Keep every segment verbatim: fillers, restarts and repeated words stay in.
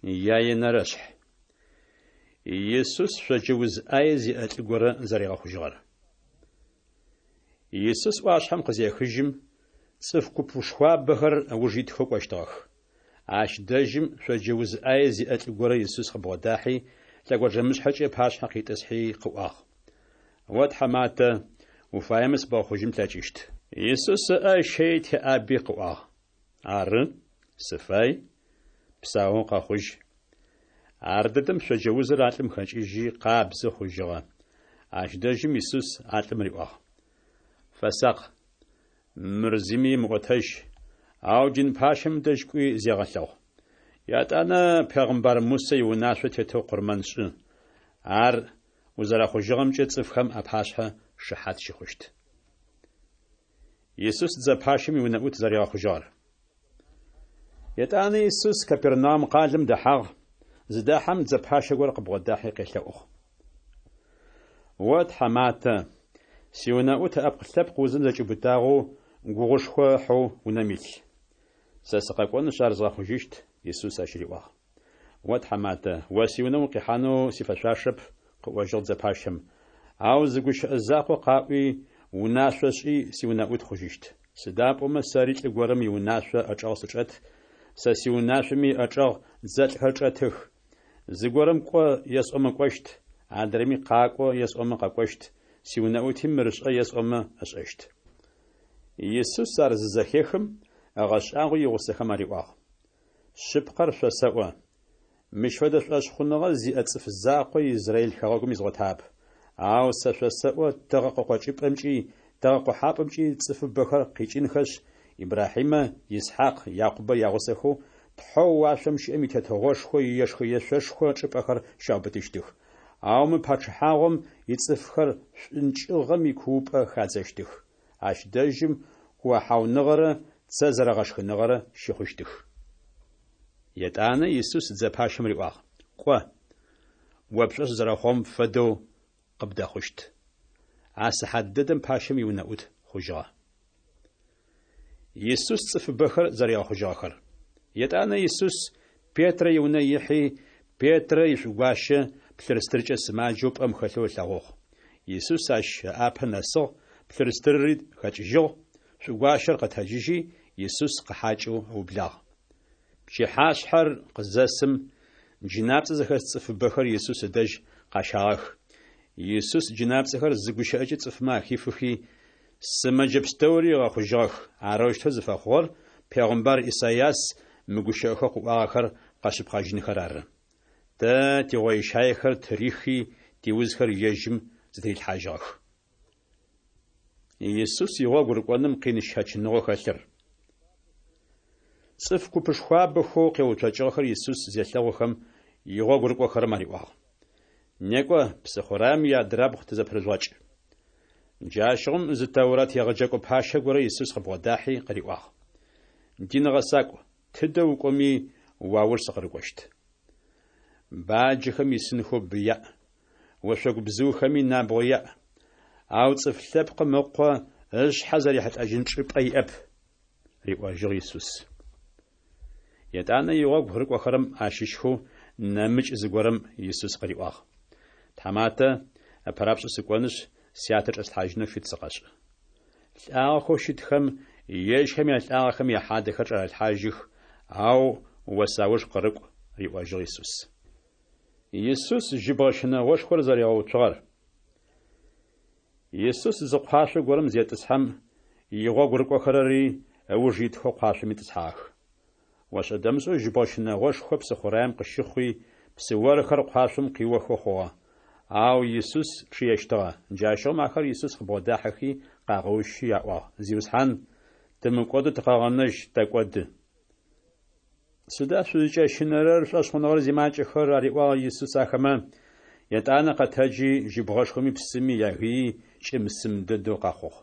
Яенэрэшъхь. Исус шъоджэ уз ӏае зиӏэ лӏы горэ зэригъэхъужьыгъэр. Исус ӏуашъхьэм къызехыжьым, цӏыф купышхуабэхэр ыуж итхэу кӏощтыгъэх. Ащ дэжьым шъоджэ уз ӏае зиӏэ лӏы горэ Исус къыбгъодахьи, лъэгонджэмышъхьэкӏэ ыпашъхьэ къитӏысхьи къыӏуагъ: «О тхьаматэ, уфаемэ сыбгъэхъужьын плъэкӏыщт». Исус ыӏэ ыщэий теӏаби къыӏуагъ: «Ары, сыфай, псаоу къэхъужь». Ардэдэм шъоджэ узыр а лӏым хэкӏыжьи, къабзэ хъужьыгъэ. Ащ дэжьым Исус а лӏым риӏуагъ: «Фэсакъ, мыр зыми емыӏотэжь, ау дин пащэм дэжь кӏуи зегъэлъэгъу. Етӏанэ пегъымбар Мусэ иунашъо тетэу къурмэн шӏы. Ар узэрэхъужьыгъэмкӏэ цӏыфхэм апашъхьэ шыхьат щыхъущт». Исус дзэ пащэм иунэӏут зэригъэхъужьыгъэр. Етӏанэ Исус Капернаум къалэм дэхьагъ, зыдахьэм дзэ пащэ горэ къыбгъодахьи къелъэӏугъ: «О тхьаматэ, сиунэӏут ыӏэпкъ-лъэпкъ узым зэкӏиубытагъэу гугъушхо ыхьэу унэм илъ. Сэ сыкъэкӏонышъ ар згъэхъужьыщт», Исус ащ риӏуагъ. «О тхьаматэ, о сиунэ укъихьанэу сифэшъуашэп, къыӏожьыгъ дзэ пащэм, ау зы гущыӏэ закъо къаӏуи, унашъо шӏи, сиунэӏут хъужьыщт. Сыда пӏомэ сэри лӏы горэм иунашъо ыӏэчӏэгъ сычӏэт, сэ сиунашъоми ыӏэчӏэгъ дзэлӏхэр чӏэтых. Зыгорэм кӏо есӏомэ кӏощт, адрэми къакӏо есӏомэ къэкӏощт, сиунэӏути мыр шӏэ есӏомэ ышӏэщт». Исус ар зызэхехым, ыгъэшӏагъуи игъусэхэм ариӏуагъ: «Шъыпкъэр шъосэӏо, мыщ фэдэ шӏошъхъуныгъэ зиӏэ цӏыф закъо Израиль хэгъэгум изгъотагъэп. Ау сэ шъосэӏо тыгъэ къыкъокӏыпӏэмкӏи тыгъэ къохьапӏэмкӏи цӏыфыбэхэр къикӏынхэшъ, Ибрахьимэ, Исхьакъ, Якъубэ ягъусэхэу Тхьэу уашъом щыӏэм и Тетыгъошхо иешхэ-ешъошхо чӏыпӏэхэр щаубытыщтых. Ау мы пачъыхьагъом ицӏыфхэр шӏункӏыгъэм икуупӏэ хадзэщтых. Ащ дэжьым куохьауныгъэрэ цэ зэрэгъэшхыныгъэрэ щыхъущтых». Етӏанэ Исус дзэ пащэм риӏуагъ: «Кӏо, о пшӏошъ зэрэхъугъэм фэдэу къыбдэхъущт». А сыхьат дэдэм пащэм иунэӏут хъужьыгъэ. Исус цӏыфыбэхэр зэригъэхъужьыгъэхэр. Етӏанэ Исус Петрэ иунэ ихьи, Петрэ ишӏугуащэ плъырстыркӏэ сымаджэу пӏэм хэлъэу ылъэгъугъ. Исус ащ ыӏапэ нэсыгъ, плъырстырри хэкӏыжьыгъ, шӏугуащэр къэтэджыжьи, Исус къыхьакӏэу ыублагъ. Пчыхьашъхьэр къызэсым, джынапцӏэ зыхэс цӏыфыбэхэр Исус ыдэжь къащагъэх. Исус джынапцӏэхэр зы гущыӏэкӏэ цӏыфмэ ахифыхи, сымэджэ пстэури ыгъэхъужьыгъэх. Арэущтэу зыфэхъугъэр пегъымбар Исайас мы гущыӏэхэу къыӏуагъэхэр къэшъыпкъэжьынхэр ары: «Тэ тигъойщаехэр тырихи, тиузхэр ежьым зытырилъхьажьыгъэх». Исус игъогу рыкӏоным къин щэчыныгъэу хэлъыр. Цӏыф купышхуабэхэу къеуцокӏыгъэхэр Исус зелъэгъухэм, игъогу рыкӏохэрэм ариӏуагъ: «Некӏо, псыхъураем иадрабгъу тызэпырыжъугъэкӏ». Джащыгъум зы Тэурат егъэджэкӏо пащэ горэ Исус къыбгъодахьи къыриӏуагъ: «Дин гъэсакӏу, тыдэ укӏоми, уауж сыкъырыкӏощт». Баджэхэм исынхэу бы яӏ, ошъогу бзыухэми набгъо яӏ, ау Цӏыф Лъэпкъым Ыкъо ышъхьэ зэрихьылӏэжьын чӏыпӏэ иӏэп, риӏожьыгъ Исус. Етӏанэ игъогу рыкӏохэрэм ащыщхэу нэмыкӏ зыгорэм Исус къыриӏуагъ: «Тхьаматэ, ыпэрапшӏэу сыкӏонышъ, сятэ чӏэслъхьажьынэу фит сыкъэшӏ». Лӏагъэхэу щытхэм ежьхэм ялӏагъэхэм яхьадэхэр чӏарэлъхьажьых, ау о сауж къырыкӏу, риӏожьыгъ Исус. Исус жьыбгъэ щынэгъошхор зэригъэуцугъэр. Исус зы къуашъо горэм зетӏысхьэм, игъогу рыкӏохэрэри ыуж итхэу къуашъом итӏысхьагъэх. Ошӏэ-дэмышӏэу жьыбгъэ щынэгъошхо псыхъураем къыщыхъуи, псыорхэр къуашъом къиохэу хъугъэ. Ау Исус чъыещтыгъэ. Джащыгъум ахэр Исус къыбгъодахьэхи къагъэущи аӏуагъ: «Зиусхьан, тымыкӏодэу тыкъэгъэнэжь, тэкӏоды». Сыда шъузыкӏэщынэрэр, шӏошъхъуныгъэр зимакӏэхэр, ариӏуагъ Исус ахэмэ. Етӏанэ къэтэджи, жьыбгъэшхоми псыми ягыий кӏым-сым дэдэу къэхъугъ.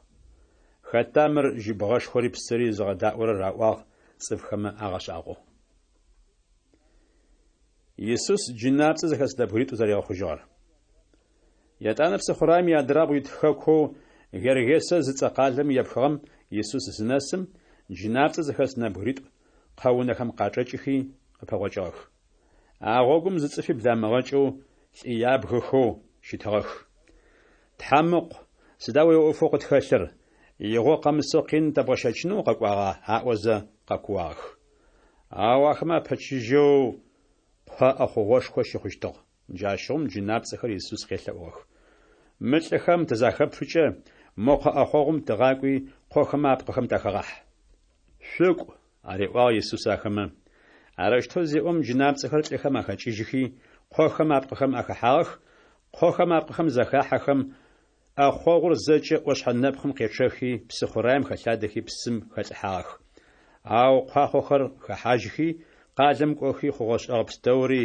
Хэта мыр жьыбгъэшхори псыри зыгъэдаӏорэр, аӏуагъ цӏыфхэмэ агъэшӏагъоу. Исус джынапцӏэ зыхэс нэбгыритӏу зэригъэхъужьыгъэр. Етӏанэ псыхъураем иадрабгъу ит хэкоу Гергесэ зыцӏэ къалэм епхыгъэм Исус зынэсым, джынапцӏэ зыхэс нэбгыритӏу къэунэхэм къачӏэкӏыхи къыпэгъокӏыгъэх. А гъогум зы цӏыфи бламыгъэкӏэу, лӏы ябгэхэу щытыгъэх. Тхьэм Ыкъу, сыда о уиӏофэу къытхэлъыр? Игъо къэмысэу къин тэбгъэщэчынэу укъэкӏуагъа? аӏозэ къэкууагъэх. Ау ахэмэ апэчыжьэу къо ӏэхъогъушхо щыхъущтыгъ. Джащыгъум джынапцӏэхэр Исус къелъэӏугъэх. Мы лӏыхэм тызахэпфыкӏэ, мо къо ӏэхъогъум тыгъакӏуи, къохэмэ апкъыхэм тахэгъахь. Шъукӏу, ариӏуагъ Исус ахэмэ. Арэущтэу зеӏом, джынапцӏэхэр лӏыхэм ахэкӏыжьхи, къохэм апкъыхэм ахэхьагъэх, къохэм апкъыхэм захахьэхэм, ӏэхъогъур зэкӏэ ӏошъхьэ нэпкъым къечъэхи, псыхъураем хэлъадэхи, псым хэлӏыхьагъэх. Ау куахъохэр хэхьажьхи, къалэм кӏохи хъугъэ-шӏэгъэ пстэури,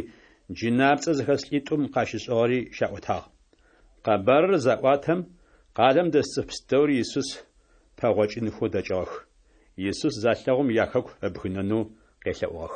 джынапцӏэ зыхэс лӏитӏум къащышӏыгъэри щаӏотагъ. Къэбарыр заӏуатэм, къалэм дэс цӏыф пстэури Исус пэгъокӏынхэу дэкӏыгъэх. Исус залъэгъум яхэку ыбгынэнэу къелъэӏугъэх.